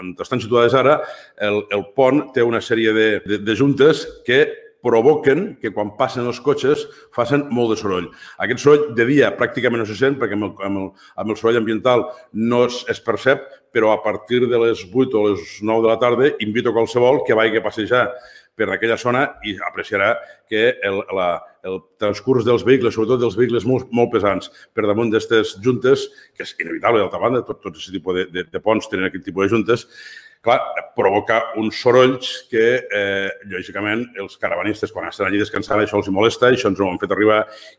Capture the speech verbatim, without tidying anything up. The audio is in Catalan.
on estan situades ara, el, el pont té una sèrie de, de, de juntes que provoquen que quan passen els cotxes facin molt de soroll. Aquest soroll de dia pràcticament no se sent perquè amb el, amb el, amb el soroll ambiental no es, es percep, però a partir de les vuit o les nou de la tarda invito qualsevol que vagi a passejar per aquella zona i apreciarà que el, la, el transcurs dels vehicles, sobretot dels vehicles molt, molt pesants, per damunt d'aquestes juntes, que és inevitable, d'altra banda, tot, tot aquest tipus de, de, de ponts tenen aquest tipus de juntes, clar, provoca uns sorolls que, eh, lògicament, els caravanistes, quan estan allí descansant, això els molesta, això ens ho han fet arribar